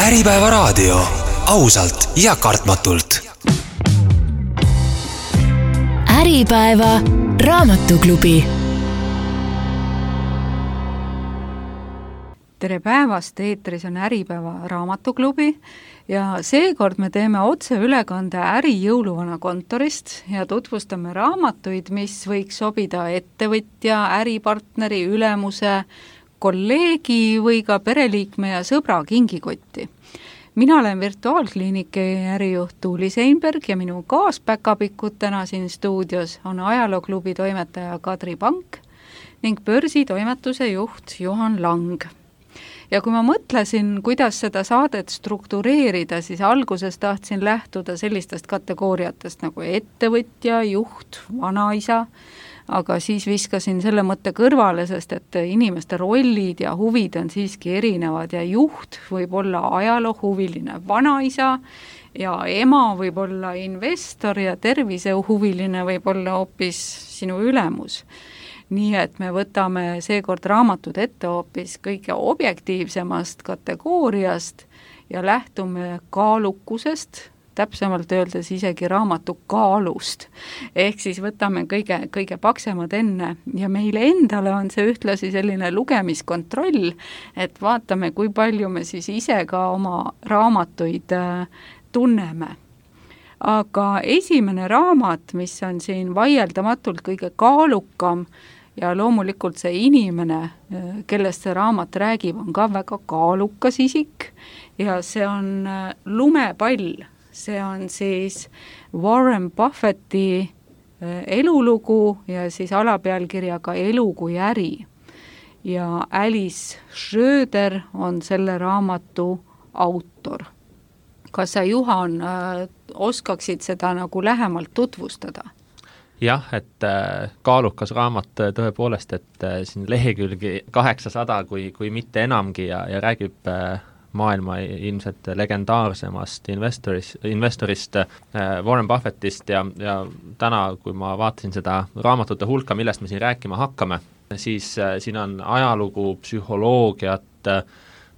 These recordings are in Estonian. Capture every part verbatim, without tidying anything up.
Äripäeva raadio. Ausalt ja kartmatult. Äripäeva raamatuklubi. Tere päevast, eetris on Äripäeva raamatuklubi ja seekord me teeme otse ülekande äri jõuluvana kontorist ja tutvustame raamatuid, mis võiks sobida ettevõtja, äripartneri, ülemuse, kolleegi või ka pereliikme ja sõbra kingikotti. Mina olen virtuaalkliiniki ärijuht Tuuli Seinberg ja minu kaaspäkapikud täna siin stuudios on ajalooklubi toimetaja Kadri Pank ning börsitoimetuse juht Juhan Lang. Ja kui ma mõtlesin, kuidas seda saadet struktureerida, siis alguses tahtsin lähtuda sellistest kategooriatest nagu ettevõtja, juht, vanaisa, aga siis viskasin selle mõtte kõrvale, sest et inimeste rollid ja huvid on siiski erinevad ja juht võib olla ajaloohuviline vanaisa ja ema võib olla investor ja tervisehuviline võib olla hoopis sinu ülemus. Nii et me võtame seekord raamatud ette hoopis kõige objektiivsemast kategooriast ja lähtume kaalukusest, täpsemalt öeldes isegi raamatu kaalust. Ehk siis võtame kõige, kõige paksemad enne ja meile endale on see ühtlasi selline lugemiskontroll, et vaatame, kui palju me siis ise ka oma raamatuid tunneme. Aga esimene raamat, mis on siin vaieldamatult kõige kaalukam ja loomulikult see inimene, kellest see raamat räägib, on ka väga kaalukas isik ja see on Lumepall. See on siis Warren Buffetti elulugu ja siis alapealkirjaga Elu kui äri. Ja Alice Schröder on selle raamatu autor. Kas sa, Juhan, oskaksid seda nagu lähemalt tutvustada? Jah, et kaalukas raamat tõepoolest, et siin lehekülgi kaheksasada kui, kui mitte enamgi ja, ja räägib maailma ilmselt legendaarsemast investorist, investorist Warren Buffettist ja, ja täna, kui ma vaatasin seda raamatute hulka, millest me siin rääkima hakkame, siis siin on ajalugu, psühholoogiat,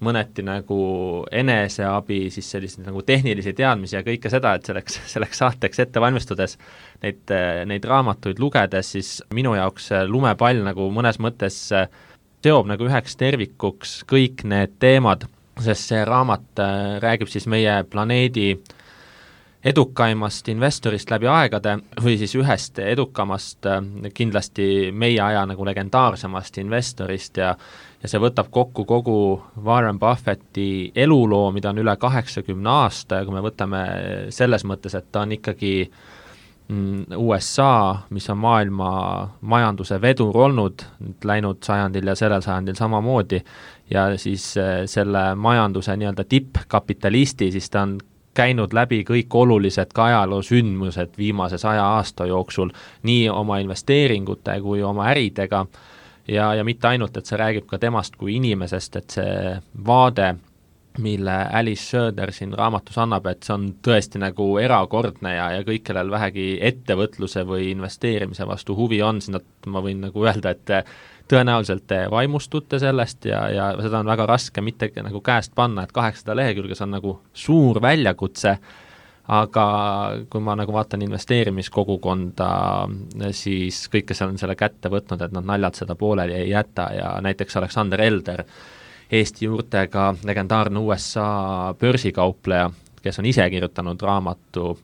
mõneti nagu eneseabi, siis sellised nagu tehnilisi teadmisi ja kõike seda, et selleks, selleks saateks ette valmistudes neid, neid raamatuid lugedes, siis minu jaoks Lumepall nagu mõnes mõttes seob nagu üheks tervikuks kõik need teemad, sest see raamat räägib siis meie planeedi edukaimast investorist läbi aegade või siis ühest edukamast kindlasti meie aja nagu legendaarsemast investorist ja, ja see võtab kokku kogu Warren Buffetti eluloo, mida on üle kaheksakümne aasta ja kui me võtame selles mõttes, et ta on ikkagi U S A, mis on maailma majanduse vedur olnud, läinud sajandil ja sellel sajandil samamoodi ja siis selle majanduse nii-öelda tippkapitalisti, siis ta on käinud läbi kõik olulised ka ajaloosündmused viimase saja aasta jooksul, nii oma investeeringute kui oma äridega ja, ja mitte ainult, et see räägib ka temast kui inimesest, et see vaade, mille Alice Schröder siin raamatus annab, et see on tõesti nagu erakordne ja, ja kõik, kellel vähegi ettevõtluse või investeerimise vastu huvi on, siis nad, ma võin nagu öelda, et tõenäoliselt te vaimustute sellest ja, ja seda on väga raske mitte nagu käest panna, et kaheksasada lehekülges on nagu suur väljakutse, aga kui ma nagu vaatan investeerimiskogukonda, siis kõik, kes on selle kätte võtnud, et nad naljad seda pooleli ei jäta ja näiteks Alexander Elder, Eesti juurtega legendaarne U S A börsikaupleja, kes on ise kirjutanud raamatu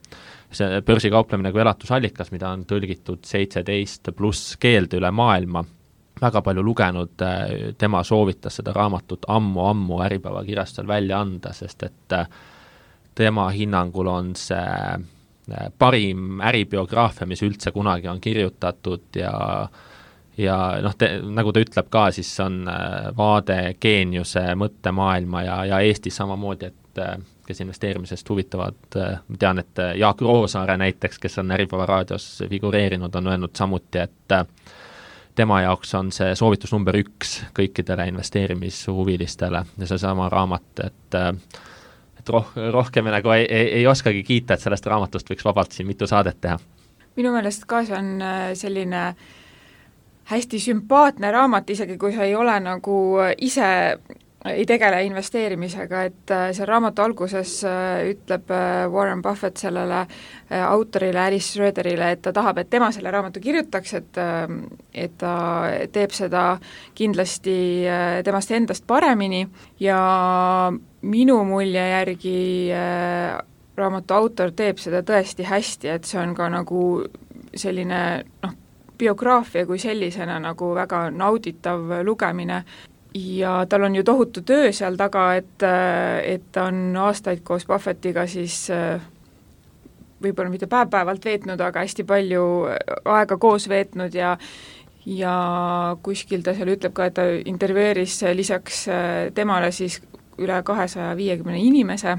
see börsikauplemine kui elatusallikas, mida on tõlgitud seitseteist pluss keelde üle maailma, väga palju lugenud, tema soovitas seda raamatut ammu-ammu Äripäeva kirjastusel välja anda, sest et tema hinnangul on see parim äribiograafia, mis üldse kunagi on kirjutatud ja ja noh, te, nagu ta ütleb ka, siis on vaade geeniuse mõttemaailma ja, ja Eestis samamoodi, et kes investeerimisest huvitavad, tean, et Jaak Roosaare näiteks, kes on Äripäeva raadios figureerinud, on öelnud samuti, et tema jaoks on see soovitus number üks kõikidele investeerimishuvilistele ja see sama raamat, et, et roh, rohkem nagu ei, ei, ei oskagi kiita, et sellest raamatust võiks vabalt siin mitu saadet teha. Minu meelest ka see on selline hästi sümpaatne raamat, isegi kui sa ei ole nagu ise ei tegele investeerimisega, et see raamatu alguses ütleb Warren Buffett sellele autorile, Alice Schröderile, et ta tahab, et tema selle raamatu kirjutaks, et, et ta teeb seda kindlasti temast endast paremini ja minu mulje järgi raamatu autor teeb seda tõesti hästi, et see on ka nagu selline noh, biograafia kui sellisena nagu väga nauditav lugemine ja tal on ju tohutu töö seal taga, et, et ta on aastaid koos Buffettiga siis võib-olla mitte päev-päevalt veetnud, aga hästi palju aega koos veetnud ja ja kuskil ta seal ütleb ka, et ta intervjueeris lisaks temale siis üle kahesaja viiekümne inimese,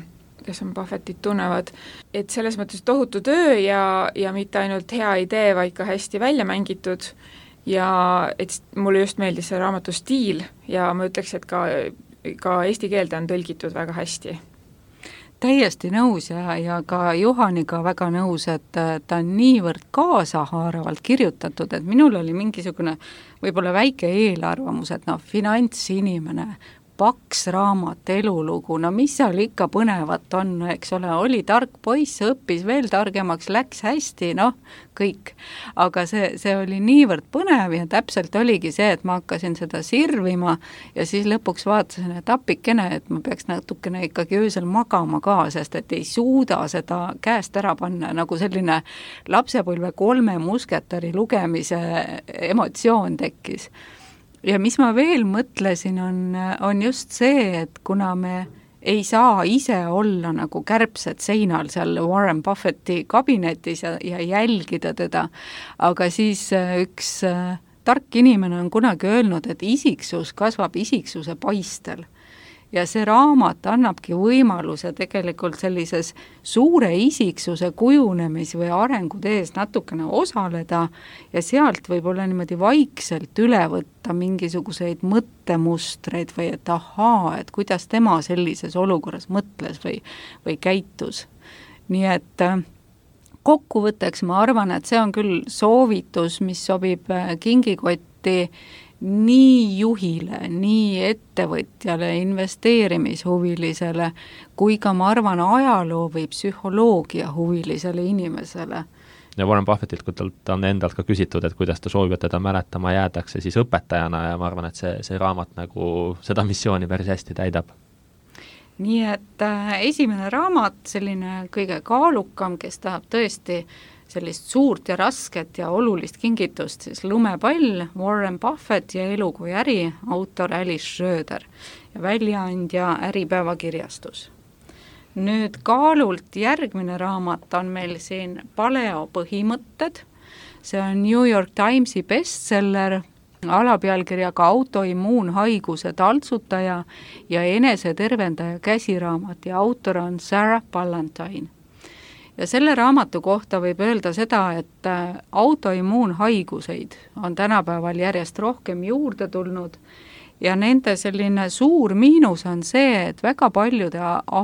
kes on Buffettit tunnevad, et selles mõttes tohutu töö ja, ja mitte ainult hea idee, vaid ka hästi välja mängitud ja et mulle just meeldis see raamatu stiil ja ma ütleks, et ka, ka eesti keelde on tõlgitud väga hästi. Täiesti nõus ja, ja ka Juhaniga väga nõus, et ta on niivõrd kaasahaaravalt kirjutatud, et minul oli mingisugune võib-olla väike eelarvamus, et noh, finantsinimene, paks raamat, elulugu, no mis seal ikka põnevat on, eks ole, oli tark poiss, õppis veel targemaks, läks hästi, noh, kõik. Aga see, see oli niivõrd põnev ja täpselt oligi see, et ma hakkasin seda sirvima ja siis lõpuks vaatasin, et appikene, et ma peaks natukene ikkagi öösel magama ka, sest et ei suuda seda käest ära panna, nagu selline lapsepõlve kolme musketäri lugemise emotsioon tekkis. Ja mis ma veel mõtlesin, on, on just see, et kuna me ei saa ise olla nagu kärbsed seinal seal Warren Buffetti kabinetis ja, ja jälgida teda, aga siis üks tark inimene on kunagi öelnud, et isiksus kasvab isiksuse paistel. Ja see raamat annabki võimaluse tegelikult sellises suure isiksuse kujunemis- või arengutees natukene osaleda ja sealt võib-olla niimoodi vaikselt üle võtta mingisuguseid mõttemustreid või et ahaa, et kuidas tema sellises olukorras mõtles või, või käitus. Nii et kokkuvõtteks ma arvan, et see on küll soovitus, mis sobib kingikotti nii juhile, nii ettevõtjale, investeerimishuvilisele, kui ka ma arvan ajaloo või psühholoogia huvilisele inimesele. Ja Warren Buffettilt, kui ta on endalt ka küsitud, et kuidas ta soovib, et teda mäletama jäädakse, siis õpetajana ja ma arvan, et see, see raamat nagu seda missiooni päris hästi täidab. Nii et äh, esimene raamat, selline kõige kaalukam, kes tahab tõesti sellist suurt ja rasket ja olulist kingitust, siis Lumepall, Warren Buffett ja Elu kui äri, autor Alice Schröder ja väljaandja Äripäeva kirjastus. Nüüd kaalult järgmine raamat on meil siin Paleo põhimõtted, see on New York Timesi bestseller, alapealkirjaga autoimmuunhaiguse taltsutaja ja enesetervendaja käsiraamat ja autor on Sarah Ballantyne. Ja selle raamatu kohta võib öelda seda, et autoimmuunhaiguseid on tänapäeval järjest rohkem juurde tulnud ja nende selline suur miinus on see, et väga paljude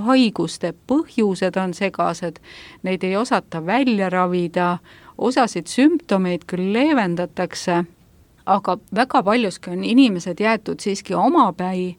haiguste põhjused on segased, neid ei osata välja ravida, osasid sümptomeid küll leevendatakse, aga väga paljuski on inimesed jäetud siiski omapäi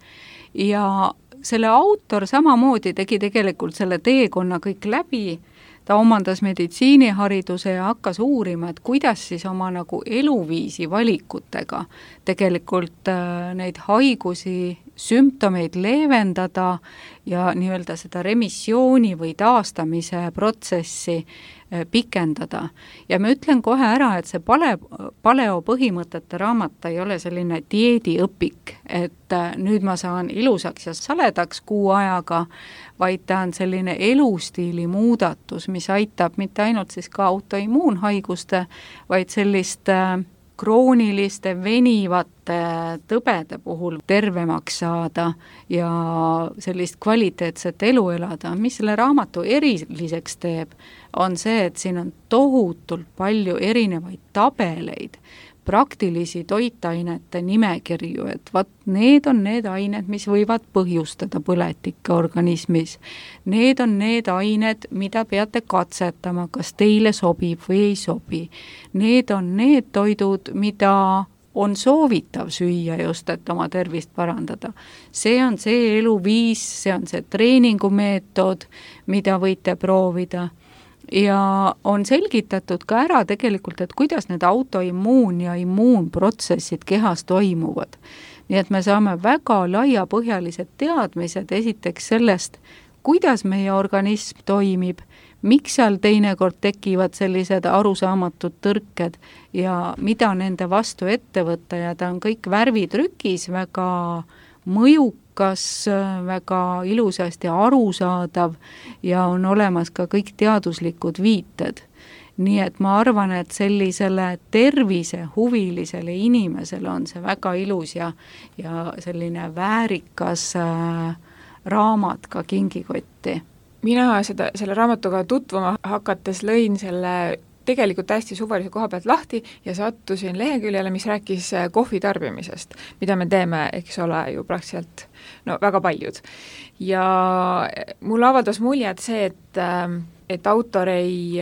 ja selle autor samamoodi tegi tegelikult selle teekonna kõik läbi. Ta omandas meditsiinihariduse ja hakkas uurima, et kuidas siis oma nagu eluviisi valikutega tegelikult äh, neid haigusi, sümptomeid leevendada ja nii-öelda seda remissiooni või taastamise protsessi äh, pikendada. Ja ma ütlen kohe ära, et see pale, paleo põhimõtete raamat ei ole selline dieediõpik, et äh, nüüd ma saan ilusaks ja saledaks kuu ajaga, vaid ta on selline elustiili muudatus, mis aitab mitte ainult siis ka autoimmuunhaiguste, vaid sellist äh, krooniliste, venivate tõbede puhul tervemaks saada ja sellist kvaliteetset elu elada. Mis selle raamatu eriliseks teeb, on see, et siin on tohutult palju erinevaid tabeleid, praktilisi toitainete nimekirju, et vat need on need ained, mis võivad põhjustada põletikke organismis. Need on need ained, mida peate katsetama, kas teile sobib või ei sobi. Need on need toidud, mida on soovitav süüa just, et oma tervist parandada. See on see eluviis, see on see treeningumeetod, mida võite proovida. Ja on selgitatud ka ära tegelikult, et kuidas need autoimmuun ja immuunprotsessid kehas toimuvad. Nii et me saame väga laiapõhjalised teadmised esiteks sellest, kuidas meie organism toimib, miks seal teinekord tekivad sellised arusaamatud tõrked ja mida nende vastu ette võtta ja ta on kõik värvitrükis väga mõjukas, väga ilusasti arusaadav ja on olemas ka kõik teaduslikud viited. Nii et ma arvan, et sellisele tervise huvilisele inimesele on see väga ilus ja, ja selline väärikas äh, raamat ka kingikotti. Mina seda, selle raamatuga tutvuma hakates lõin selle tegelikult hästi suvalise koha pealt lahti ja sattusin leheküljele, mis rääkis kohvi tarbimisest, mida me teeme, eks ole, ju praktiliselt no, väga paljud. Ja mul avaldas mulje, et see, et, et autor ei,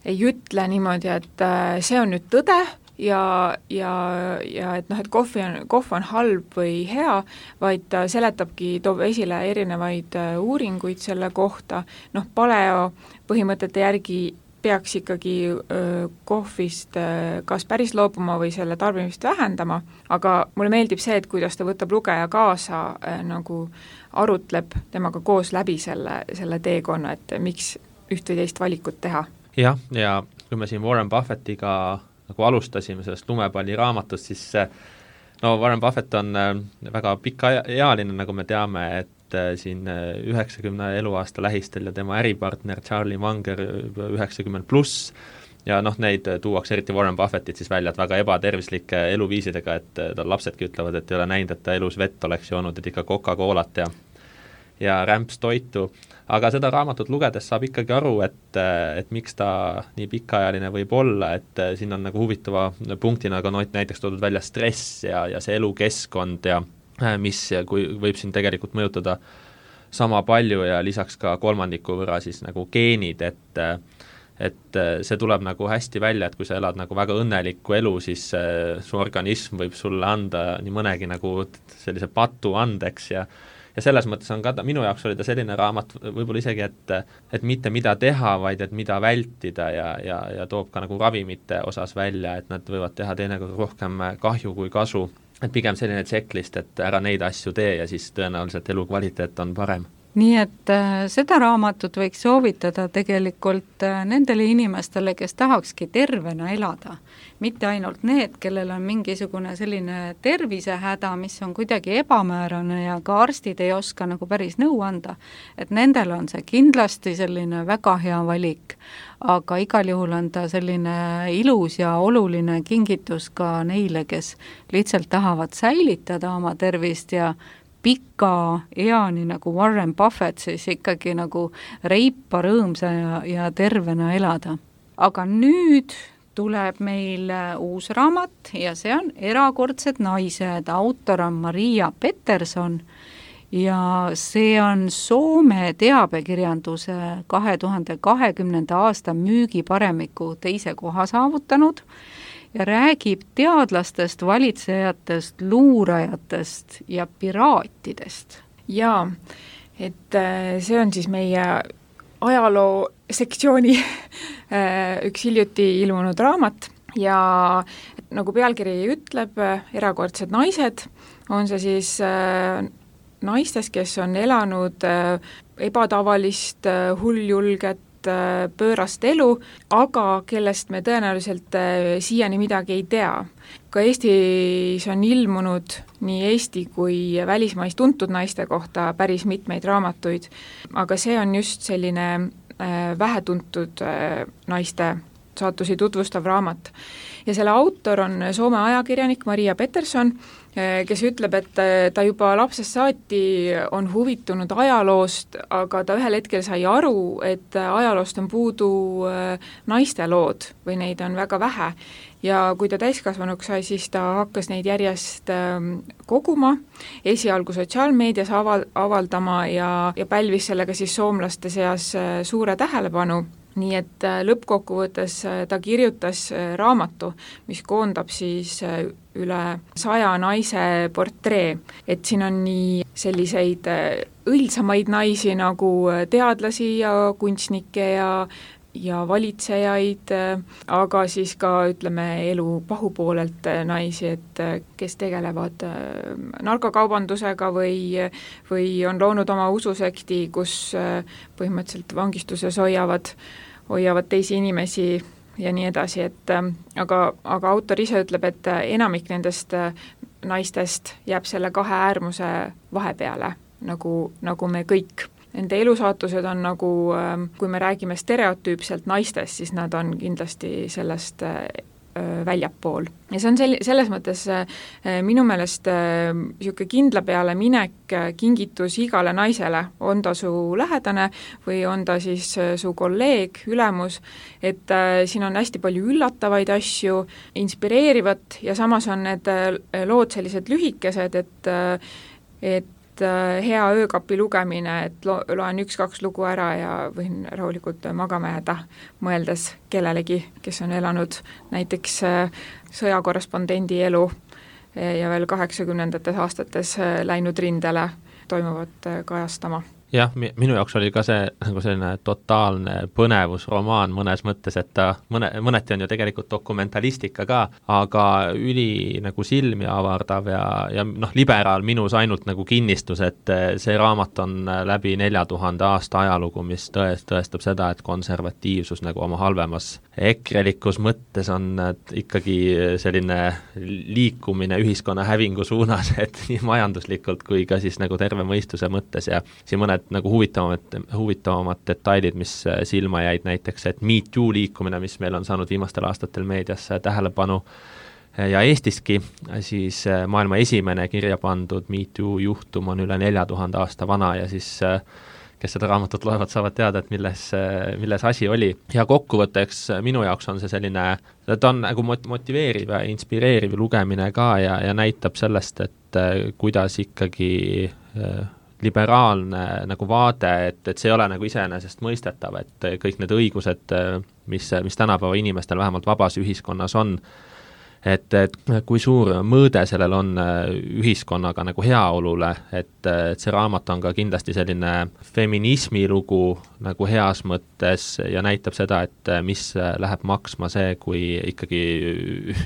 ei ütle niimoodi, et see on nüüd tõde, ja, ja, ja et noh, et kohvi on, kohv on halb või hea, vaid ta seletabki, toob esile erinevaid uuringuid selle kohta, noh, paleo põhimõtete järgi peaks ikkagi öö, kohvist öö, kas päris loobuma või selle tarbimist vähendama, aga mulle meeldib see, et kuidas ta võtab lugeja kaasa, öö, nagu arutleb temaga koos läbi selle, selle teekonna, et miks üht või teist valikut teha. jah, ja kui me siin Warren Buffettiga nagu alustasime sellest lumepalli raamatust, siis no Warren Buffett on väga pikaealine, nagu me teame, et siin üheksakümne eluaasta lähistel ja tema äripartner Charlie Munger üheksakümmend pluss ja noh, neid tuuakse eriti Warren Buffettit siis välja, et väga ebatervislike eluviisidega, et tal lapsedki ütlevad, et ei ole näinud, et ta elus vett oleks joonud, et ikka Coca-Colat ja, ja rämps toitu. Aga seda raamatut lugedes saab ikkagi aru, et, et miks ta nii pikaajaline võib olla, et siin on nagu huvitava punktina ka näiteks toodud välja stress ja, ja see elukeskkond ja mis kui võib siin tegelikult mõjutada sama palju ja lisaks ka kolmandiku võrra siis nagu geenid, et, et see tuleb nagu hästi välja, et kui sa elad nagu väga õnnelikku elu, siis su organism võib sulle anda nii mõnegi nagu sellise patu andeks ja ja selles mõttes on ka, minu jaoks oli ta selline raamat võib-olla isegi, et, et mitte mida teha, vaid et mida vältida ja, ja, ja toob ka nagu ravimite osas välja, et nad võivad teha teinekord rohkem kahju kui kasu. Et pigem selline checklist, et ära neid asju tee ja siis tõenäoliselt elukvaliteet on parem. Nii et äh, seda raamatut võiks soovitada tegelikult äh, nendele inimestele, kes tahakski tervena elada. Mitte ainult need, kellel on mingisugune selline tervisehäda, mis on kuidagi ebamäärane ja ka arstid ei oska nagu päris nõu anda, et nendel on see kindlasti selline väga hea valik, aga igal juhul on ta selline ilus ja oluline kingitus ka neile, kes lihtsalt tahavad säilitada oma tervist ja pika eani nagu Warren Buffett siis ikkagi nagu reipa, rõõmsa ja, ja tervena elada. Aga nüüd tuleb meil uus raamat ja see on Erakordsed naised, autor on Maria Pettersson ja see on Soome teabekirjanduse kahe tuhande kahekümnenda aasta müügiparemiku teise koha saavutanud ja räägib teadlastest, valitsejatest, luurajatest ja piraatidest. Jaa, et see on siis meie ajaloo sektsiooni üks hiljuti ilmunud raamat ja nagu pealkiri ütleb, Erakordsed naised, on see siis naistest, kes on elanud ebatavalist, hulljulget, pöörast elu, aga kellest me tõenäoliselt siiani midagi ei tea. Ka Eestis on ilmunud nii Eesti kui välismais tuntud naiste kohta päris mitmeid raamatuid, aga see on just selline vähetuntud naiste saatusi tutvustav raamat. Ja selle autor on Soome ajakirjanik Maria Pettersson, kes ütleb, et ta juba lapsest saati on huvitunud ajaloost, aga ta ühel hetkel sai aru, et ajaloost on puudu naiste lood või neid on väga vähe. Ja kui ta täiskasvanuks sai, siis ta hakkas neid järjest koguma, esialgu sotsiaalmeedias aval, avaldama ja, ja pälvis sellega siis soomlaste seas suure tähelepanu. nii et lõppkokkuvõttes ta kirjutas raamatu, mis koondab siis üle saja naise portree, et siin on nii selliseid õilsamaid naisi nagu teadlasi ja kunstnikke ja ja valitsejaid, aga siis ka ütleme elu pahupoolelt naisi, et kes tegelevad narkokaubandusega või, või on loonud oma ususekti, kus põhimõtteliselt vangistuses hoiavad, hoiavad teisi inimesi ja nii edasi, et aga, aga autor ise ütleb, et enamik nendest naistest jääb selle kahe äärmuse vahepeale, nagu, nagu me kõik. Nende elusaatused on nagu, kui me räägime stereotüüpselt naistest, siis nad on kindlasti sellest väljapool. Ja see on sel-, selles mõttes minu meelest niisugune kindla peale minek kingitus igale naisele, on ta su lähedane või on ta siis su kolleeg, ülemus, et siin on hästi palju üllatavaid asju, inspireerivat ja samas on need lood sellised lühikesed, et, et hea öökapi lugemine, et lo- loen üks-kaks lugu ära ja võin rahulikult magama jääda, mõeldes kellelegi, kes on elanud näiteks sõjakorrespondendi elu ja veel kaheksakümnendates aastates läinud rindele toimuvat kajastama. Jah, minu jaoks oli ka see nagu selline totaalne põnevusromaan mõnes mõttes, et ta mõne, mõneti on ju tegelikult dokumentalistika ka, aga üli nagu silmi avardav ja, ja noh, liberaal minus ainult nagu kinnistus, et see raamat on läbi nelja tuhande aasta ajalugu, mis tõest, tõestab seda, et konservatiivsus nagu oma halvemas ekrelikus mõttes on ikkagi selline liikumine ühiskonna hävingu suunas, et nii majanduslikult kui ka siis nagu terve mõistuse mõttes ja siin mõned nagu huvitavamad, huvitavamad detailid, mis silma jäid näiteks, et Me Too liikumine, mis meil on saanud viimastel aastatel meedias tähelepanu ja Eestiski, siis maailma esimene kirja pandud Me Too juhtum on üle nelja tuhande aasta vana ja siis kes seda raamatut loevad, saavad teada, et milles, milles asi oli. Ja kokkuvõtteks minu jaoks on see selline, ta on nagu motiveeriv ja inspireeriv lugemine ka ja, ja näitab sellest, et kuidas ikkagi liberaalne nagu vaade, et, et see ei ole nagu iseenesest mõistetav, et kõik need õigused, mis, mis tänapäeva inimestel vähemalt vabas ühiskonnas on, et, et kui suur mõõde sellel on ühiskonnaga nagu heaolule, et, et see raamat on ka kindlasti selline feminismi lugu nagu heas mõttes ja näitab seda, et mis läheb maksma see, kui ikkagi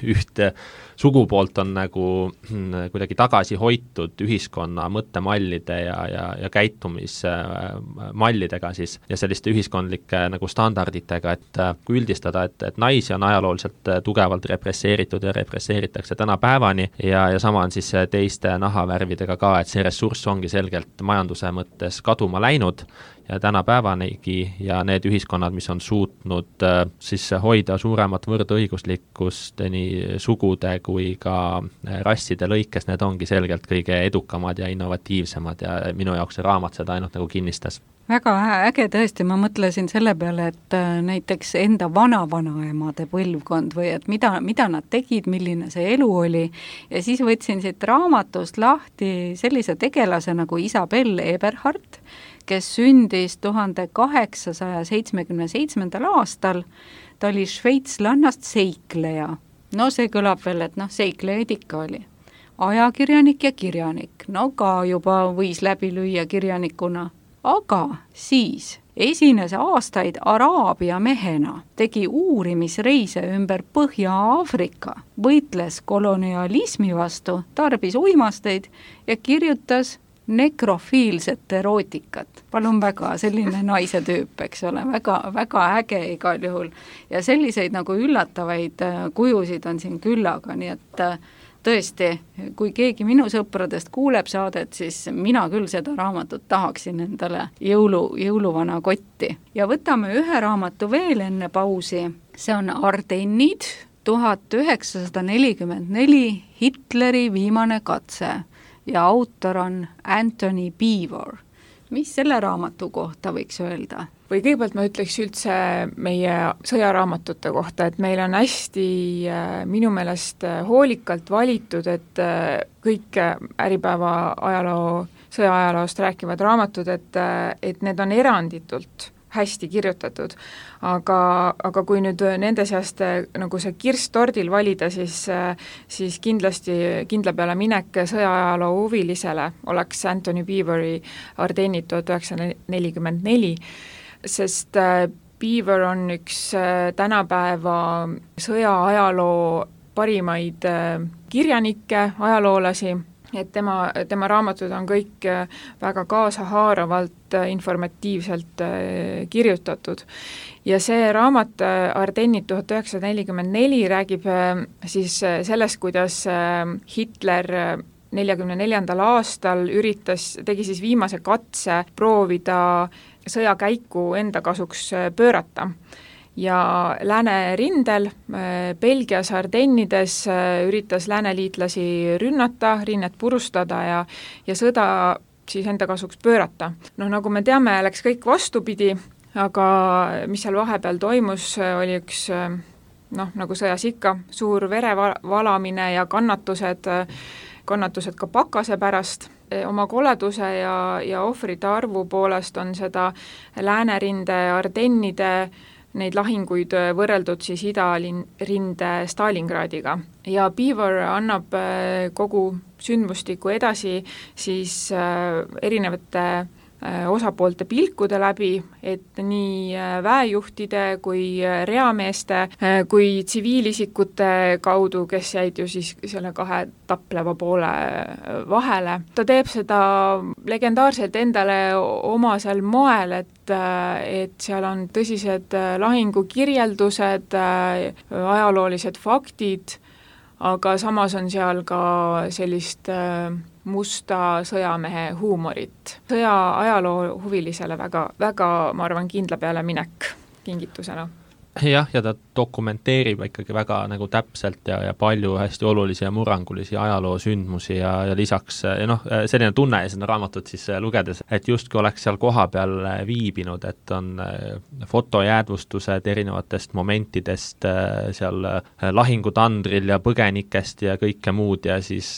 ühte sugupoolt on nagu kuidagi tagasi hoitud ühiskonna mõttemallide ja, ja, ja käitumismallidega siis ja selliste ühiskondlike nagu standarditega, et kui üldistada, et, et naisi on ajalooliselt tugevalt represseeritud ja represseeritakse tänapäevani ja, ja sama on siis teiste nahavärvidega ka, et see ressurss ongi selgelt majanduse mõttes kaduma läinud ja tänapäevanigi ja need ühiskonnad, mis on suutnud äh, siis hoida suuremat võrdõiguslikkust nii sugude kui ka rasside lõikes, need ongi selgelt kõige edukamad ja innovatiivsemad ja minu jaoks see raamat seda ainult nagu kinnistas. Väga äge tõesti, ma mõtlesin selle peale, et näiteks enda vana-vanaemade põlvkond või et mida, mida nad tegid, milline see elu oli ja siis võtsin siit raamatust lahti sellise tegelase nagu Isabel Eberhardt, kes sündis tuhande kaheksasaja seitsmekümne seitsmendal aastal, ta oli šveitslannast seikleja. No see kõlab veel, et noh, seiklejaid ikka oli. Ajakirjanik ja kirjanik, no ka juba võis läbi lüüa kirjanikuna. Aga siis esines aastaid Araabia mehena, tegi uurimisreise ümber Põhja-Aafrika, võitles kolonialismi vastu, tarbis uimasteid ja kirjutas nekrofiilset erootikat. Palun väga, selline naise tüüp, eks ole, väga, väga äge igal juhul. Ja selliseid nagu üllatavaid kujusid on siin küllaga, nii et tõesti, kui keegi minu sõpradest kuuleb saadet, siis mina küll seda raamatut tahaksin endale jõulu, jõuluvana kotti. Ja võtame ühe raamatu veel enne pausi, see on Ardennid, tuhat üheksasada nelikümmend neli, Hitleri viimane katse. Ja autor on Anthony Beevor. Mis selle raamatu kohta võiks öelda? Või kõigepealt ma ütleks üldse meie sõjaraamatute kohta, et meil on hästi minu meelest hoolikalt valitud, et kõik Äripäeva ajaloo, sõjaajaloost rääkivad raamatud, et, et need on eranditult hästi kirjutatud. Aga, aga kui nüüd nende seast nagu see kirst tordil valida, siis, siis kindlasti kindla peale minek sõjaajaloo huvilisele oleks Anthony Beevori Ardennid tuhat üheksasada nelikümmend neli, sest Beaver on üks tänapäeva sõjaajaloo parimaid kirjanikke, ajaloolasi, et tema, tema raamatud on kõik väga kaasahaaravalt, informatiivselt kirjutatud. Ja see raamat Ardennid tuhat üheksasada nelikümmend neli räägib siis sellest, kuidas Hitler neljakümne neljandal aastal üritas, tegi siis viimase katse proovida sõjakäiku enda kasuks pöörata. Ja läänerindel Belgias Ardennides üritas lääneliitlasi rünnata, rinnet purustada ja, ja sõda siis enda kasuks pöörata. No nagu me teame, läks kõik vastupidi, aga mis seal vahepeal toimus, oli üks, noh, nagu sõjas ikka, suur verevalamine ja kannatused, kannatused ka pakase pärast. Oma koleduse ja, ja ohvrite arvu poolest on seda läänerinde Ardennide neid lahinguid võrreldud siis idarinde Stalingradiga. Ja Beaver annab kogu sündmustiku edasi siis erinevate osapoolte pilkude läbi, et nii väejuhtide kui reameeste kui tsiviilisikute kaudu, kes jäid ju siis selle kahe tapleva poole vahele. Ta teeb seda legendaarselt endale omasel moel, et, et seal on tõsised lahingukirjeldused, ajaloolised faktid, aga samas on seal ka sellist musta sõjamehe huumorit. Sõja ajaloo huvilisele väga, väga, ma arvan, kindla peale minek kingitusena. Jah, ja ta dokumenteerib ikkagi väga nagu täpselt ja, ja palju hästi olulisi ja murrangulisi ajaloo sündmusi ja, ja lisaks ja noh, selline tunne ja seda raamatut siis lugedes, et justkui oleks seal koha peal viibinud, et on fotojäädvustused erinevatest momentidest seal lahingutandril ja põgenikest ja kõike muud ja siis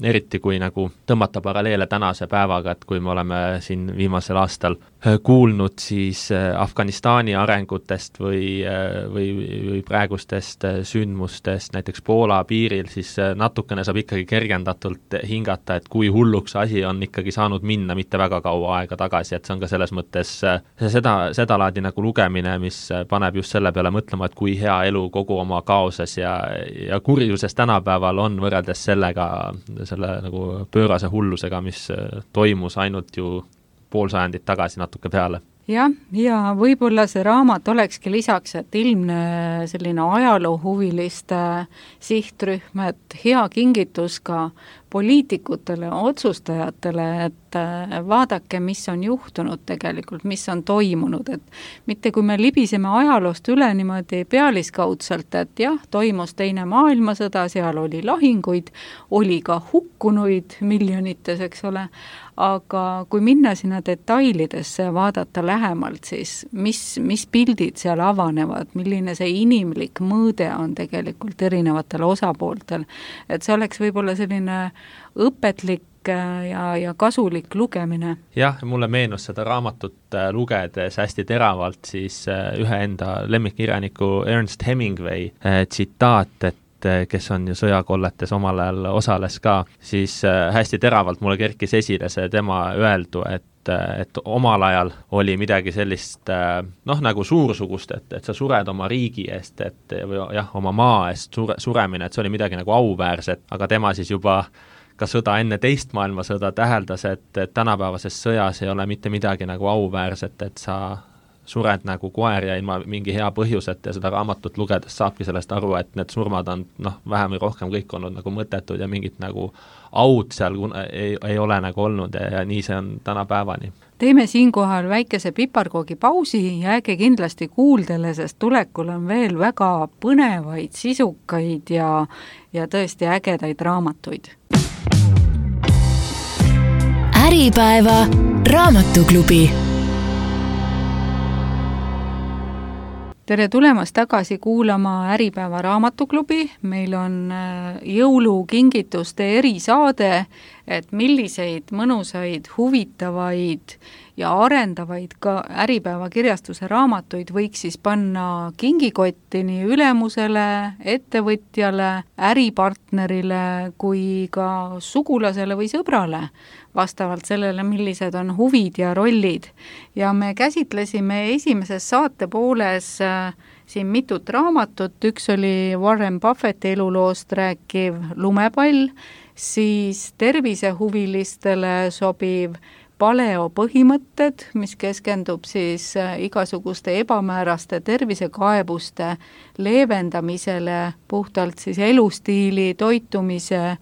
eriti kui nagu tõmmata paralleele tänase päevaga, et kui me oleme siin viimasel aastal kuulnud siis Afganistani arengutest või, või, või praegustest sündmustest näiteks Poola piiril, siis natukene saab ikkagi kergendatult hingata, et kui hulluks asi on ikkagi saanud minna mitte väga kaua aega tagasi, et see on ka selles mõttes seda, seda laadi nagu lugemine, mis paneb just selle peale mõtlema, et kui hea elu kogu oma kaoses ja, ja kurjuses tänapäeval on võrreldes sellega, selle nagu pöörase hullusega, mis toimus ainult ju pool sajandit tagasi natuke peale. Jah, ja võib-olla see raamat olekski lisaks, et ilmne selline ajaloohuviliste sihtrühm, et hea kingitus ka poliitikutele, otsustajatele, et vaadake, mis on juhtunud tegelikult, mis on toimunud, et mitte kui me libiseme ajaloost üle niimoodi pealiskaudselt, et jah, toimus teine maailmasõda, seal oli lahinguid, oli ka hukkunuid miljonites, eks ole, aga kui minna sinna detailidesse ja vaadata lähemalt, siis mis, mis pildid seal avanevad, milline see inimlik mõõde on tegelikult erinevatel osapooltel, et see oleks võib-olla selline õpetlik ja, ja kasulik lugemine. Jah, mulle meenus seda raamatut lugedes hästi teravalt siis ühe enda lemmikkirjaniku Ernest Hemingway tsitaat, et kes on ju sõjakolletes omal ajal osales ka, siis hästi teravalt mulle kerkis esile see tema öeldu, et, et omal ajal oli midagi sellist noh, nagu suursugust, et, et sa sured oma riigi eest, et või jah, oma maa eest sure, suremine, et see oli midagi nagu auväärset, aga tema siis juba ka sõda enne teist maailmasõda täheldas, et, et tänapäevases sõjas ei ole mitte midagi nagu auväärset, et sa sured nagu koer ja ilma mingi hea põhjuset ja seda raamatut lugedes saabki sellest aru, et need surmad on noh, vähem või rohkem kõik olnud nagu mõttetud ja mingit nagu aud seal ei, ei ole nagu olnud ja, ja nii see on tänapäevani. Teeme siinkohal väikese piparkoogi pausi ja jääge kindlasti kuuldele, sest tulekul on veel väga põnevaid, sisukaid ja, ja tõesti ägedaid raamatuid. Äripäeva raamatuklubi. Tere tulemast tagasi kuulama Äripäeva raamatuklubi, meil on jõulukingituste erisaade, et milliseid mõnusaid, huvitavaid ja arendavaid ka Äripäeva kirjastuse raamatuid võiks siis panna kingikotti nii ülemusele, ettevõtjale, äripartnerile kui ka sugulasele või sõbrale, vastavalt sellele, millised on huvid ja rollid. Ja me käsitlesime esimeses saate pooles äh, siin mitut raamatut, üks oli Warren Buffetti eluloost rääkiv Lumepall, siis tervisehuvilistele sobiv paleo põhimõtted, mis keskendub siis igasuguste ebamääraste tervisekaebuste leevendamisele puhtalt siis elustiili, toitumise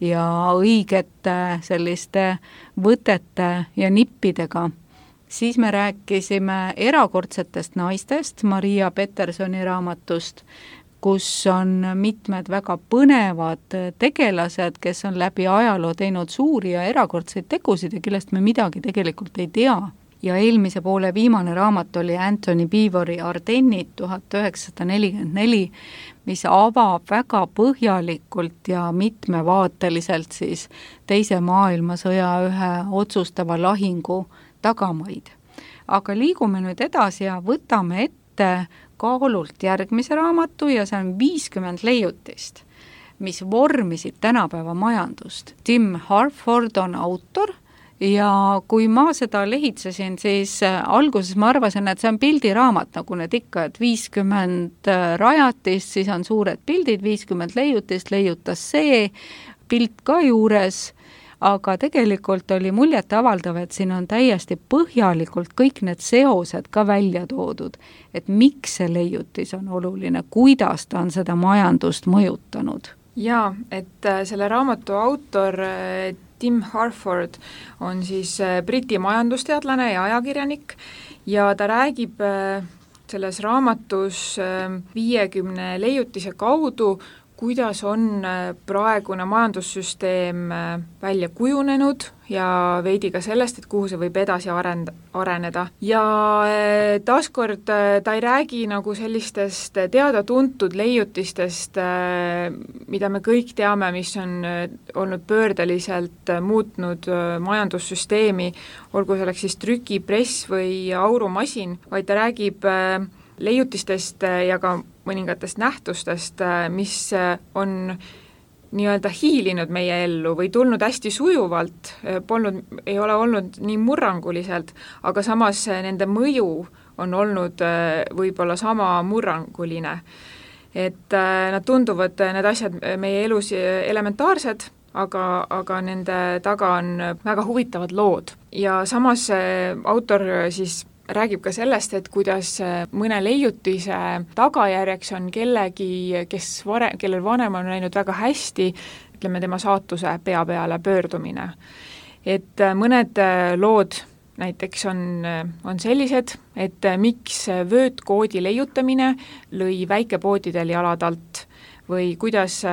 ja õigete selliste võtete ja nippidega. Siis me rääkisime erakordsetest naistest, Maria Petersoni raamatust, kus on mitmed väga põnevad tegelased, kes on läbi ajaloo teinud suuri ja erakordseid tegusid ja kellest me midagi tegelikult ei tea. Ja eelmise poole viimane raamat oli Anthony Beevori Ardennid tuhat üheksasada nelikümmend neli, mis avab väga põhjalikult ja mitmevaateliselt siis teise maailmasõja ühe otsustava lahingu tagamaid. Aga liigume nüüd edasi ja võtame ette kaalult järgmise raamatu ja see on viiskümmend leiutist, mis vormisid tänapäeva majandust. Tim Harford on autor ja kui ma seda lehitsesin, siis alguses ma arvasin, et see on pildiraamat, nagu need ikka, et viiskümmend rajatist, siis on suured pildid, viiskümmend leiutist, leiutas see, pilt ka juures, aga tegelikult oli muljet avaldav, et siin on täiesti põhjalikult kõik need seosed ka välja toodud, et miks see leiutis on oluline, kuidas ta on seda majandust mõjutanud. Jaa, et selle raamatu autor Tim Harford on siis Briti majandusteadlane ja ajakirjanik ja ta räägib selles raamatus viiekümne leiutise kaudu, kuidas on praegune majandussüsteem välja kujunenud ja veidi ka sellest, et kuhu see võib edasi arend- areneda. Ja taaskord ta ei räägi nagu sellistest teada-tuntud leiutistest, mida me kõik teame, mis on olnud pöördeliselt muutnud majandussüsteemi, olgu selleks siis trükipress või aurumasin, vaid ta räägib leiutistest ja ka mõningatest nähtustest, mis on nii-öelda hiilinud meie ellu või tulnud hästi sujuvalt, polnud, ei ole olnud nii murranguliselt, aga samas nende mõju on olnud võib-olla sama murranguline. Et nad tunduvad, need asjad meie elus elementaarsed, aga, aga nende taga on väga huvitavad lood. Ja samas autor siis räägib ka sellest, et kuidas mõne leiutise tagajärjeks on kellegi, kes vare, kellel vanem on läinud väga hästi, ütleme tema saatuse pea peale pöördumine. Et mõned lood näiteks on, on sellised, et miks vöötkoodi leiutamine lõi väikepoodidel jalad alt või kuidas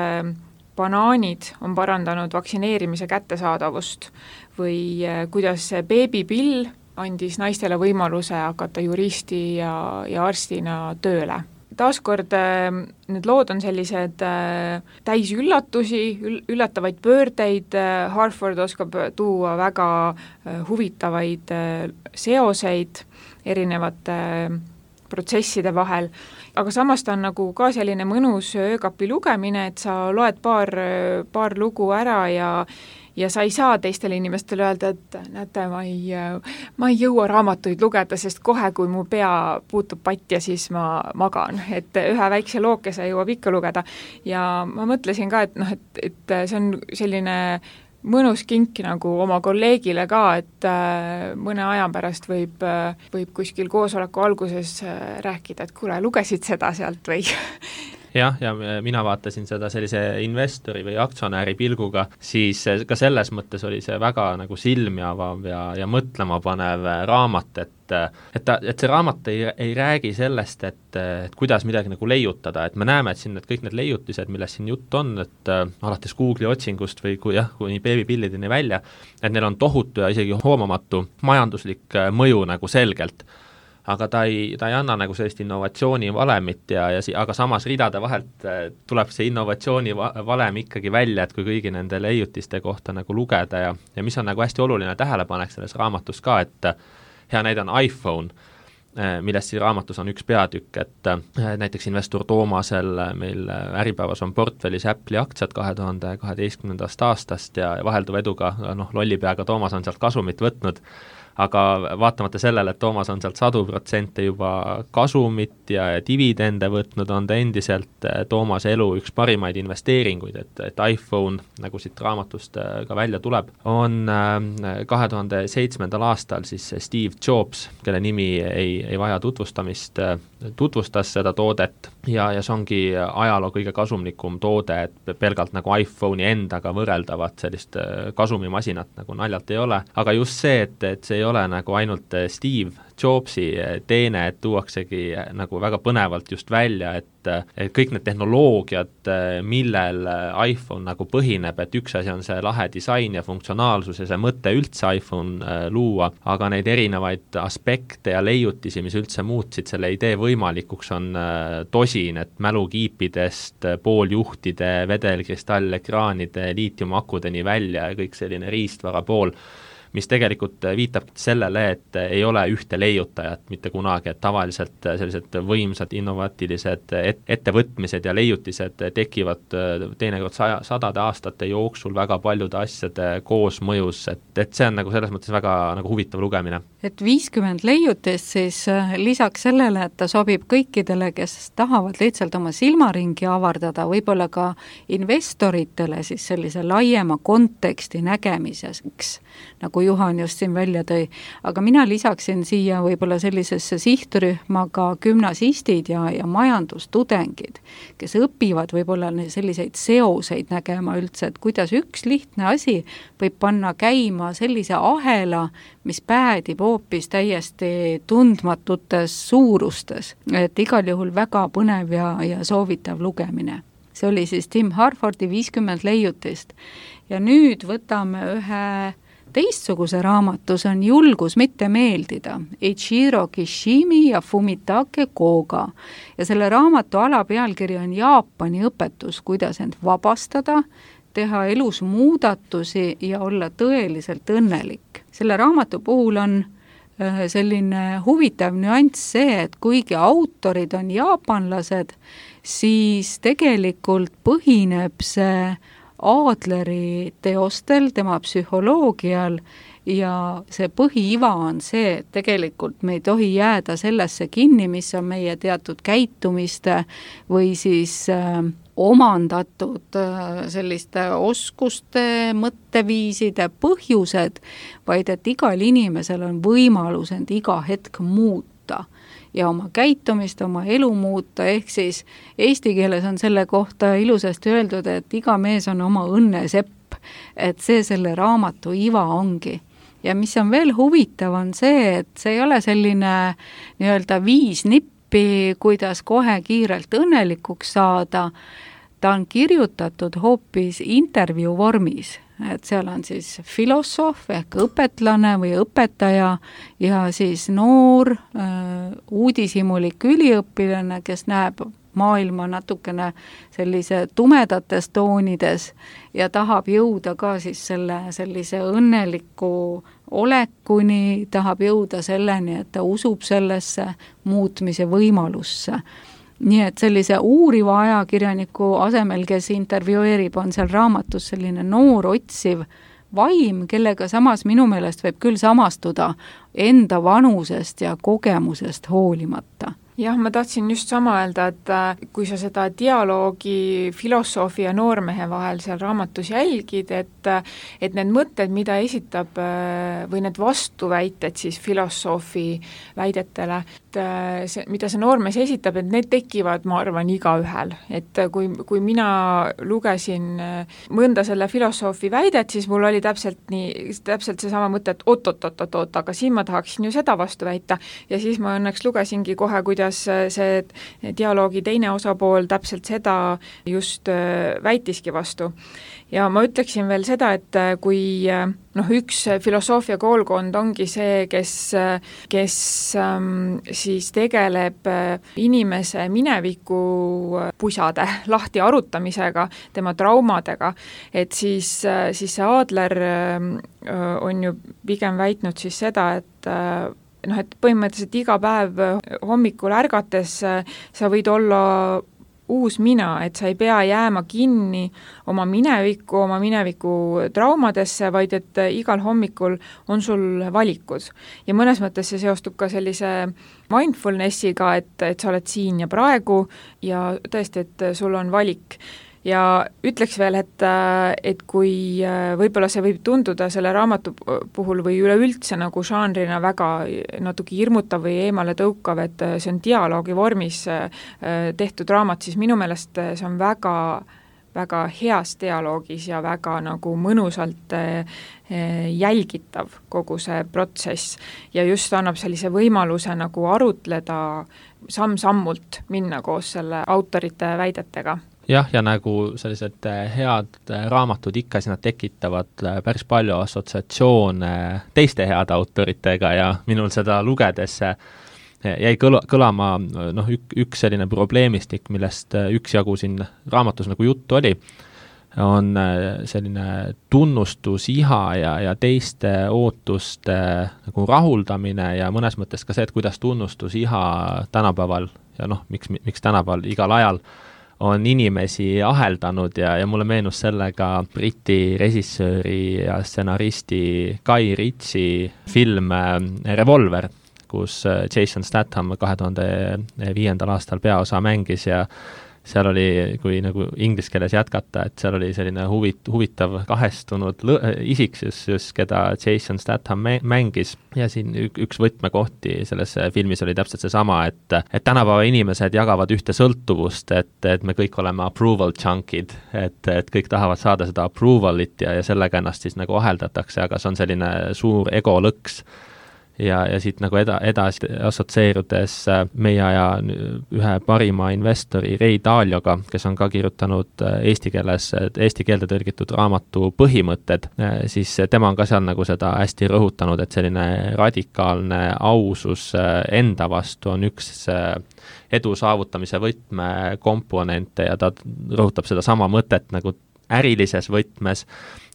banaanid on parandanud vaktsineerimise kättesaadavust või kuidas beebipill andis naistele võimaluse hakata juristi ja, ja arstina tööle. Taaskord need lood on sellised täis üllatusi, üllatavaid pöördeid, Harford oskab tuua väga huvitavaid seoseid erinevate protsesside vahel, aga samas ta on nagu ka selline mõnus öökapi lugemine, et sa loed paar, paar lugu ära ja ja sa ei saa teistele inimestele öelda, et näete, ma ei, ma ei jõua raamatuid lugeda, sest kohe, kui mu pea puutub patja, siis ma magan. Et ühe väikse lookese jõuab ikka lugeda. Ja ma mõtlesin ka, et, noh, et, et see on selline mõnus kink nagu oma kolleegile ka, et mõne aja pärast võib, võib kuskil koosoleku alguses rääkida, et kuule, lugesid seda sealt või... jah, ja mina vaatasin seda sellise investori või aktsionäri pilguga, siis ka selles mõttes oli see väga nagu silmi avav ja, ja mõtlema panev raamat, et, et, ta, et see raamat ei, ei räägi sellest, et, et kuidas midagi nagu leiutada, et me näeme, et siin need kõik need leiutised, millest siin jutt on, et äh, alates Google'i otsingust või kui jah, kuni beebipillideni välja, et neil on tohutu ja isegi hoomamatu majanduslik mõju nagu selgelt. Aga ta ei, ta ei anna nagu sellist innovatsiooni valemit ja, ja si-, aga samas ridade vahelt tuleb see innovatsiooni va- valem ikkagi välja, et kui kõigi nende leiutiste kohta nagu lugeda ja, ja mis on nagu hästi oluline tähelepanek selles raamatus ka, et hea näide on iPhone, millest siin raamatus on üks peatükk, et näiteks investor Toomasel meil Äripäevas on portfellis Apple'i aktsiad kahe tuhande kaheteistkümnendast aastast ja vahelduva eduga, noh, lollipeaga Toomas on sealt kasumit võtnud, aga vaatamata sellele, et Toomas on sealt sadu protsente juba kasumit ja dividende võtnud, on ta endiselt Toomase elu üks parimaid investeeringuid, et, et iPhone, nagu siit raamatust ka välja tuleb, on kahe tuhande seitsmendal aastal siis Steve Jobs, kelle nimi ei, ei vaja tutvustamist, tutvustas seda toodet ja, ja see ongi ajaloo kõige kasumlikum toode, et pelgalt nagu iPhone'i endaga võrreldavat sellist kasumimasinat nagu naljalt ei ole, aga just see, et, et see ei ole nagu ainult Steve Jobsi teene, et tuuaksegi nagu väga põnevalt just välja, et, et kõik need tehnoloogiad, millel iPhone nagu põhineb, et üks asi on see lahe disain ja funktsionaalsus ja see mõte üldse iPhone luua, aga neid erinevaid aspekte ja leiutisi, mis üldse muutsid selle idee võimalikuks, on tosin, et mälukiipidest, pooljuhtide, vedelkristallekraanide, liitiumakudeni välja ja kõik selline riistvara pool, mis tegelikult viitab sellele, et ei ole ühte leiutajat mitte kunagi, et tavaliselt sellised võimsad innovaatilised et, ettevõtmised ja leiutised tekivad teinekord saja, sadade aastate jooksul väga paljude asjade koosmõjus, et, et see on nagu selles mõttes väga nagu huvitav lugemine. Et viiskümmend leiutist siis lisaks sellele, et ta sobib kõikidele, kes tahavad lihtsalt oma silmaringi avardada, võib-olla ka investoritele siis sellise laiema konteksti nägemiseks, nagu Juhan just siin välja tõi, aga mina lisaksin siia võib-olla sellisesse sihtrühma ka gümnasistid ja, ja majandustudengid, kes õpivad võib-olla selliseid seoseid nägema üldse, et kuidas üks lihtne asi võib panna käima sellise ahela, mis päädib hoopis täiesti tundmatutes suurustes, et igal juhul väga põnev ja, ja soovitav lugemine. See oli siis Tim Harfordi viiskümmend leiutist ja nüüd võtame ühe teistsuguse raamatu, see on Julgus mitte meeldida, Eiichiro Kishimi ja Fumitake Koga. Ja selle raamatu alapealkiri on Jaapani õpetus, kuidas end vabastada, teha elus muudatusi ja olla tõeliselt õnnelik. Selle raamatu puhul on selline huvitav nüanss see, et kuigi autorid on jaapanlased, siis tegelikult põhineb see Adleri teostel, tema psühholoogial ja see põhiiva on see, et tegelikult me ei tohi jääda sellesse kinni, mis on meie teatud käitumiste või siis äh, omandatud äh, selliste oskuste, mõtteviiside põhjused, vaid et igal inimesel on võimalus end iga hetk muuta ja oma käitumist, oma elu muuta, ehk siis eesti keeles on selle kohta ilusasti öeldud, et iga mees on oma õnnesepp, et see selle raamatu iva ongi. Ja mis on veel huvitav, on see, et see ei ole selline nii-öelda viis nippi, kuidas kohe kiirelt õnnelikuks saada, ta on kirjutatud hoopis intervjuu vormis, et seal on siis filosoof ehk õpetlane või õpetaja ja siis noor äh, uudishimulik üliõpilane, kes näeb maailma natukene sellise tumedates toonides ja tahab jõuda ka siis selle sellise õnneliku olekuni, tahab jõuda selleni, et ta usub sellesse muutmise võimalusse. Nii et sellise uuriva ajakirjaniku asemel, kes intervjueerib, on seal raamatus selline noor otsiv vaim, kellega samas minu meelest võib küll samastuda enda vanusest ja kogemusest hoolimata. Jah, ma tahtsin just sama öelda, et kui sa seda dialoogi filosoofi ja noormehe vahel seal raamatus jälgid, et, et need mõtted, mida esitab või need vastuväited siis filosoofi väidetele, et see, mida see noormees esitab, et need tekivad, ma arvan, igaühel. Et kui, kui mina lugesin mõnda selle filosoofi väidet, siis mul oli täpselt nii, täpselt seesama mõte, et oot-oot-oot-oot, aga siin ma tahaksin ju seda vastu väita ja siis ma õnneks lugesingi kohe, kuidas see dialoogi teine osapool täpselt seda just väitiski vastu. Ja ma ütleksin veel seda, et kui noh, üks filosoofia koolkond ongi see, kes, kes ähm, siis tegeleb inimese mineviku pusade lahti arutamisega, tema traumadega, et siis, siis see Adler äh, on ju pigem väitnud siis seda, et äh, noh, et põhimõtteliselt iga päev hommikul ärgates sa võid olla uus mina, et sa ei pea jääma kinni oma mineviku, oma mineviku traumadesse, vaid et igal hommikul on sul valikud. Ja mõnes mõttes see seostub ka sellise mindfulnessiga, et, et sa oled siin ja praegu ja tõesti, et sul on valik. Ja ütleks veel, et, et kui võib-olla see võib tunduda selle raamatu puhul või üleüldse nagu žanrina väga natuke hirmutav või eemale tõukav, et see on dialoogi vormis tehtud raamat, siis minu meelest see on väga, väga heas dialoogis ja väga nagu mõnusalt jälgitav kogu see protsess ja just annab sellise võimaluse nagu arutleda samm-sammult minna koos selle autorite väidetega. Jah, ja nagu sellised head raamatud ikka, siis nad tekitavad päris palju assotsiatsioone teiste head autoritega ja minul seda lugedes jäi kõla, kõlama noh, ük, üks selline probleemistik, millest üksjagu siin raamatus nagu juttu oli, on selline tunnustusiha ja, ja teiste ootuste nagu rahuldamine ja mõnes mõttes ka see, et kuidas tunnustusiha tänapäeval ja noh, miks, miks tänapäeval igal ajal on inimesi aheldanud ja, ja mulle meenus sellega Briti režissööri ja stsenaristi Guy Ritchie film Revolver, kus Jason Statham kahe tuhande viiendal aastal peaosa mängis ja seal oli, kui nagu inglise keeles jätkata, et seal oli selline huvit, huvitav kahestunud lõ- isiksus, just keda Jason Statham mängis ja siin üks võtmekohti selles filmis oli täpselt seesama, et, et tänapäeva inimesed jagavad ühte sõltuvust, et, et me kõik oleme approval junkid, et, et kõik tahavad saada seda approvalit ja, ja sellega ennast siis nagu aheldatakse, aga see on selline suur egolõks. Ja, ja siit nagu eda, edasi assotsieerudes meie aja ühe parima investori Ray Dalioga, kes on ka kirjutanud eesti keeles, eesti keelde tõlgitud raamatu Põhimõtted, siis tema on ka seal nagu seda hästi rõhutanud, et selline radikaalne ausus enda vastu on üks edu saavutamise võtmekomponente ja ta rõhutab seda sama mõtet nagu ärilises võtmes,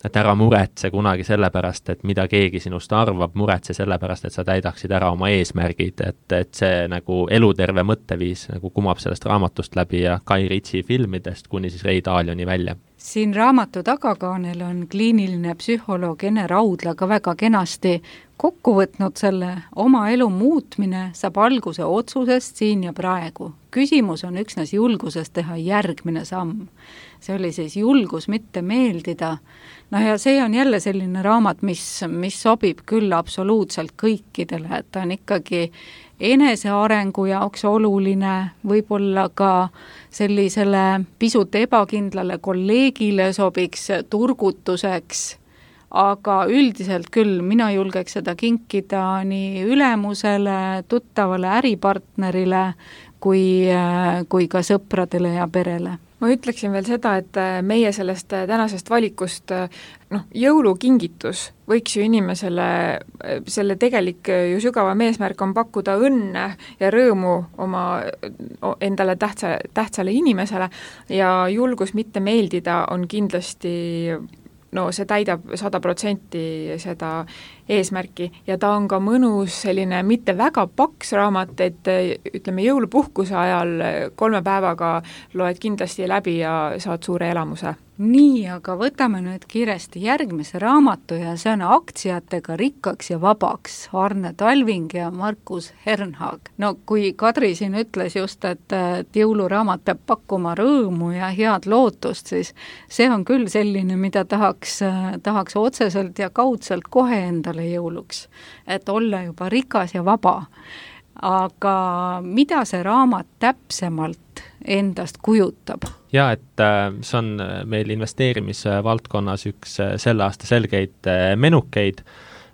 et ära muretse kunagi sellepärast, et mida keegi sinust arvab, muretse sellepärast, et sa täidaksid ära oma eesmärgid, et, et see nagu eluterve mõtteviis nagu kumab sellest raamatust läbi ja Guy Ritchie filmidest kuni siis Ray Dalioni välja. Siin raamatu tagakaanel on kliiniline psühholoog Ene Raudla ka väga kenasti kokku võtnud selle oma elu muutmine saab alguse otsusest siin ja praegu. Küsimus on üksnes julguses teha järgmine samm. See oli siis julgus mitte meeldida. No ja see on jälle selline raamat, mis, mis sobib küll absoluutselt kõikidele, et ta on ikkagi enesearengu jaoks oluline, võib-olla ka sellisele pisut ebakindlale kolleegile sobiks turgutuseks, aga üldiselt küll mina julgeks seda kinkida nii ülemusele, tuttavale äripartnerile kui, kui ka sõpradele ja perele. Ma ütleksin veel seda, et meie sellest tänasest valikust, noh, jõulukingitus võiks ju inimesele, selle tegelik ju sügavam eesmärk on pakkuda õnne ja rõõmu oma endale tähtsa, tähtsale inimesele ja julgus mitte meeldida on kindlasti, no see täidab sada protsenti seda eesmärki ja ta on ka mõnus selline mitte väga paks raamat, et ütleme jõulupuhkuse ajal kolme päevaga loed kindlasti läbi ja saad suure elamuse. Nii, aga võtame nüüd kiiresti järgmise raamatu ja see on Aktsiatega rikkaks ja vabaks, Arne Talving ja Markus Hernhag. No kui Kadri siin ütles just, et, et jõuluraamat peab pakkuma rõõmu ja head lootust, siis see on küll selline, mida tahaks, tahaks otseselt ja kaudselt kohe endale jõuluks, et olla juba rikas ja vaba. Aga mida see raamat täpsemalt endast kujutab? Ja, et see on meil investeerimisvaldkonnas üks selle aasta selgeid menukeid.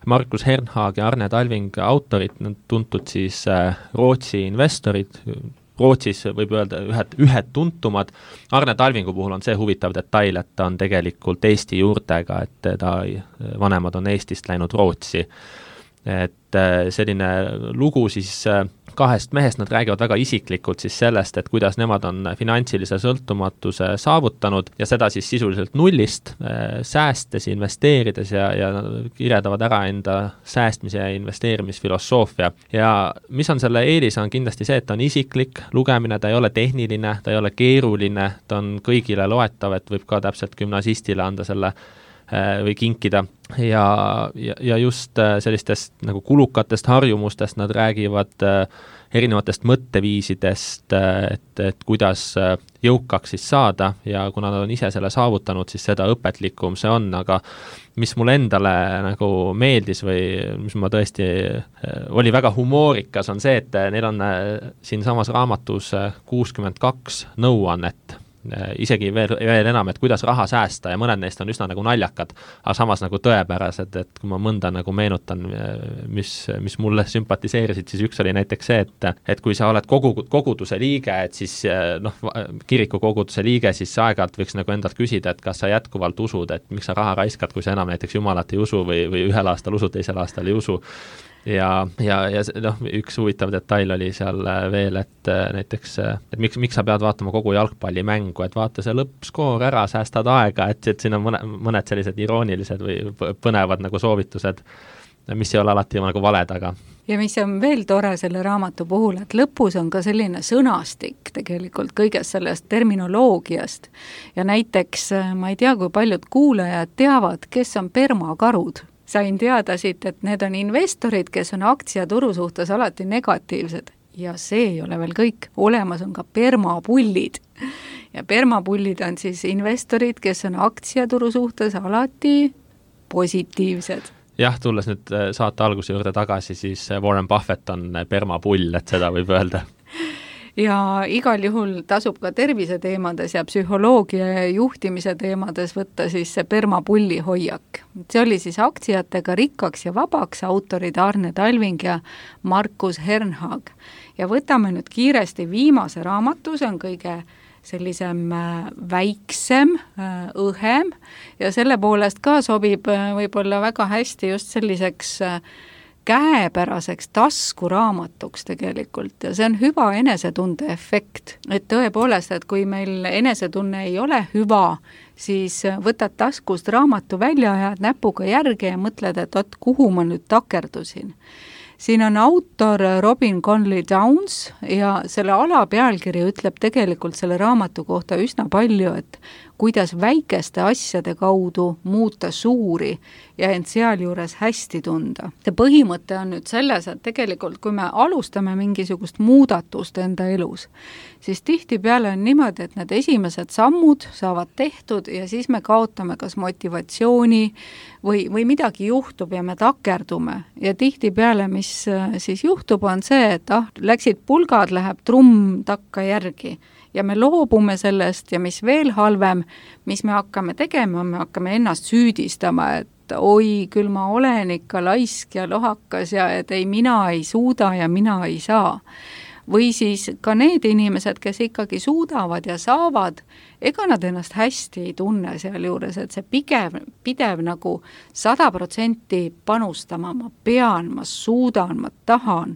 Markus Hernhag ja Arne Talving autorid, tuntud siis Rootsi investorid, Rootsis võib öelda ühed, ühed tuntumad. Arne Talvingu puhul on see huvitav detail, et ta on tegelikult Eesti juurtega, et ta vanemad on Eestist läinud Rootsi. Et selline lugu siis kahest mehest, nad räägivad väga isiklikult siis sellest, et kuidas nemad on finantsilise sõltumatuse saavutanud ja seda siis sisuliselt nullist, säästes, investeerides ja, ja kirjeldavad ära enda säästmise ja investeerimisfilosoofia. Ja mis on selle eelis, on kindlasti see, et ta on isiklik lugemine, ta ei ole tehniline, ta ei ole keeruline, ta on kõigile loetav, et võib ka täpselt gümnasistile anda selle või kinkida ja, ja, ja just sellistest nagu kulukatest harjumustest nad räägivad erinevatest mõtteviisidest, et, et kuidas jõukaks siis saada ja kuna nad on ise selle saavutanud, siis seda õpetlikum see on, aga mis mulle endale nagu meeldis või mis ma tõesti, oli väga humoorikas, on see, et neil on siin samas raamatus kuuskümmend kaks nõuannet, isegi veel, veel enam, et kuidas raha säästa ja mõned neist on üsna nagu naljakad, aga samas nagu tõepärased, et kui ma mõnda nagu meenutan, mis, mis mulle sümpatiseerisid, siis üks oli näiteks see, et, et kui sa oled kogu, koguduse liige, et siis noh, kiriku koguduse liige, siis aeg-ajalt võiks nagu endalt küsida, et kas sa jätkuvalt usud, et miks sa raha raiskad, kui sa enam näiteks Jumalat ei usu või, või ühel aastal usud, teisel aastal ei usu. Ja, ja, ja noh, üks huvitav detail oli seal veel, et näiteks, et miks, miks sa pead vaatama kogu jalgpallimängu, et vaata see lõppskoor ära, säästad aega, et, et siin on mõne, mõned sellised iroonilised või põnevad nagu soovitused, mis ei ole alati nagu valed, aga ja mis on veel tore selle raamatu puhul, et lõpus on ka selline sõnastik tegelikult kõigest sellest terminoloogiast ja näiteks ma ei tea, kui paljud kuulajad teavad, kes on permakarud. Sain teada siit, et need on investorid, kes on aktsiaturu suhtes alati negatiivsed ja see ei ole veel kõik, olemas on ka permapullid ja permapullid on siis investorid, kes on aktsiaturu suhtes alati positiivsed. Jah, tulles nüüd saate alguse juurde tagasi, siis Warren Buffett on permapull, et seda võib öelda. Ja igal juhul tasub ka tervise teemades ja psühholoogia ja juhtimise teemades võtta siis see permapulli hoiak. See oli siis aktsiatega rikkaks ja vabaks autorid Arne Talving ja Markus Hernhag. Ja võtame nüüd kiiresti viimase raamatu, see on kõige sellisem väiksem, õhem ja selle poolest ka sobib võib-olla väga hästi just selliseks käepäraseks taskuraamatuks tegelikult ja see on hüva enesetunde efekt. Et tõepoolest, et kui meil enesetunne ei ole hüva, siis võtad taskust raamatu välja ja näpuga järgi ja mõtled, et ot, kuhu ma nüüd takerdusin. Siin on autor Robin Conley Downs ja selle alapealkiri ütleb tegelikult selle raamatu kohta üsna palju, et kuidas väikeste asjade kaudu muuta suuri ja end sealjuures hästi tunda. See põhimõte on nüüd selles, et tegelikult kui me alustame mingisugust muudatust enda elus, siis tihtipeale on niimoodi, et need esimesed sammud saavad tehtud ja siis me kaotame kas motivatsiooni või, või midagi juhtub ja me takerdume. Ja tihtipeale, mis siis juhtub, on see, et ah, läksid pulgad, läheb trumm takka järgi ja me loobume sellest ja mis veel halvem, mis me hakkame tegema, me hakkame ennast süüdistama, et oi, küll ma olen ikka laisk ja lohakas ja et ei, mina ei suuda ja mina ei saa. Või siis ka need inimesed, kes ikkagi suudavad ja saavad, ega nad ennast hästi ei tunne seal juures, et see pigev, pidev nagu sada protsenti panustama, ma pean, ma suudan, ma tahan.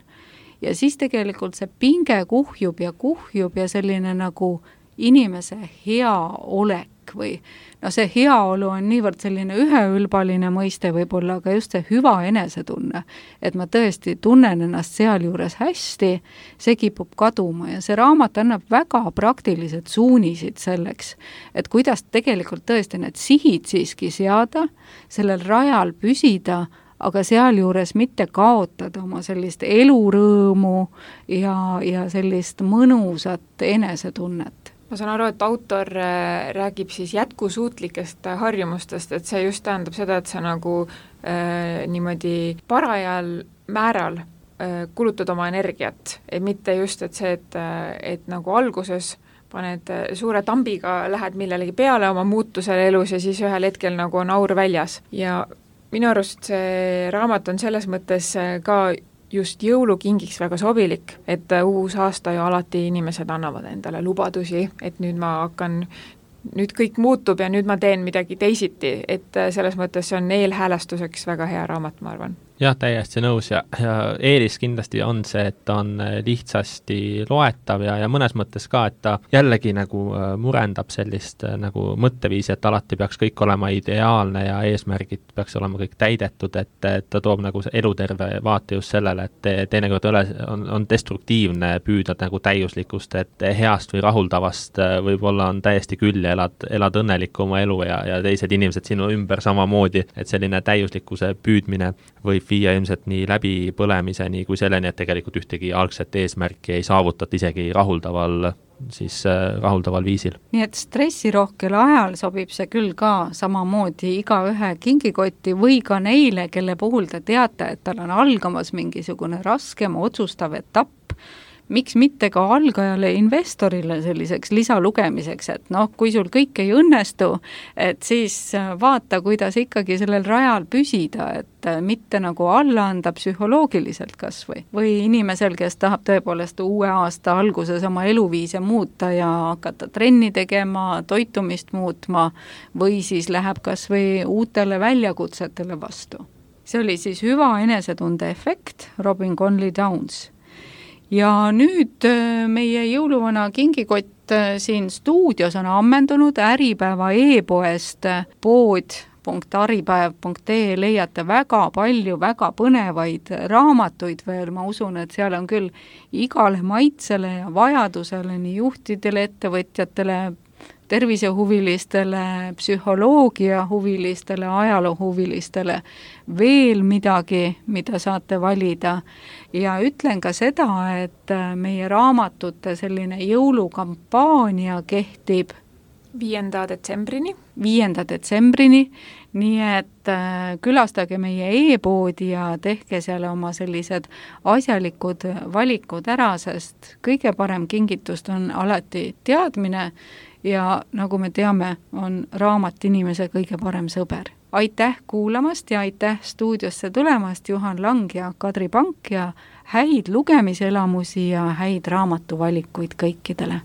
Ja siis tegelikult see pinge kuhjub ja kuhjub ja selline nagu inimese hea olek või no see heaolu on niivõrd selline üheülbaline mõiste võib-olla, aga just see hüva enesetunne, et ma tõesti tunnen ennast sealjuures hästi, see kipub kaduma ja see raamat annab väga praktilised suunisid selleks, et kuidas tegelikult tõesti need sihid siiski seada, sellel rajal püsida, aga sealjuures mitte kaotada oma sellist elurõõmu ja, ja sellist mõnusat enesetunnet. Ma saan aru, et autor räägib siis jätkusuutlikest harjumustest, et see just tähendab seda, et sa nagu äh, niimoodi parajal määral äh, kulutad oma energiat, et mitte just, et see, et, et nagu alguses paned suure tambiga, lähed millelegi peale oma muutusele elus ja siis ühel hetkel nagu on aur väljas ja minu arust see raamat on selles mõttes ka just jõulukingiks väga sobilik, et uus aasta ju alati inimesed annavad endale lubadusi, et nüüd ma hakkan, nüüd kõik muutub ja nüüd ma teen midagi teisiti, et selles mõttes see on eelhäälestuseks väga hea raamat, ma arvan. jah, täiesti nõus ja, ja eelis kindlasti on see, et ta on lihtsasti loetav ja, ja mõnes mõttes ka, et ta jällegi nagu murendab sellist nagu mõtteviisi, et alati peaks kõik olema ideaalne ja eesmärgid peaks olema kõik täidetud, et, et ta toob nagu eluterve vaate just sellele, et teinekord on, on destruktiivne püüda nagu täiuslikust, et heast või rahuldavast võib-olla on täiesti küll ja elad, elad õnnelikku oma elu ja, ja teised inimesed sinu ümber samamoodi, et selline täiuslikkuse püüdmine võib viia ilmselt nii läbipõlemiseni kui selleni, et tegelikult ühtegi algset eesmärki ei saavutata isegi rahuldaval, siis äh, rahuldaval viisil. Nii et stressirohkel ajal sobib see küll ka samamoodi igaühe kingikotti või ka neile, kelle puhul te teate, et tal on algamas mingisugune raskem otsustav etapp, miks mitte ka algajale investorile selliseks lisalugemiseks, et noh, kui sul kõik ei õnnestu, et siis vaata, kuidas ikkagi sellel rajal püsida, et mitte nagu alla anda psühholoogiliselt kas või. Või inimesel, kes tahab tõepoolest uue aasta alguses oma eluviise muuta ja hakata trenni tegema, toitumist muutma või siis läheb kas või uutele väljakutsetele vastu. See oli siis hüva enesetunde efekt, Robin Conley Downs. Ja nüüd meie jõuluvana kingikott siin stuudios on ammendunud, Äripäeva e-poest pood punkt aripäev punkt ee leiate väga palju, väga põnevaid raamatuid veel, ma usun, et seal on küll igale maitsele ja vajadusele, nii juhtidele, ettevõtjatele, tervisehuvilistele, psühholoogia huvilistele, ajaloohuvilistele veel midagi, mida saate valida. Ja ütlen ka seda, et meie raamatute selline jõulukampaania kehtib viienda detsembrini. viienda detsembrini, nii et külastage meie e-poodi ja tehke seal oma sellised asjalikud valikud ära, sest kõige parem kingitust on alati teadmine ja nagu me teame, on raamat inimese kõige parem sõber. Aitäh kuulamast ja aitäh stuudiosse tulemast, Juhan Lang ja Kadri Pank, ja häid lugemiselamusi ja häid raamatuvalikuid kõikidele!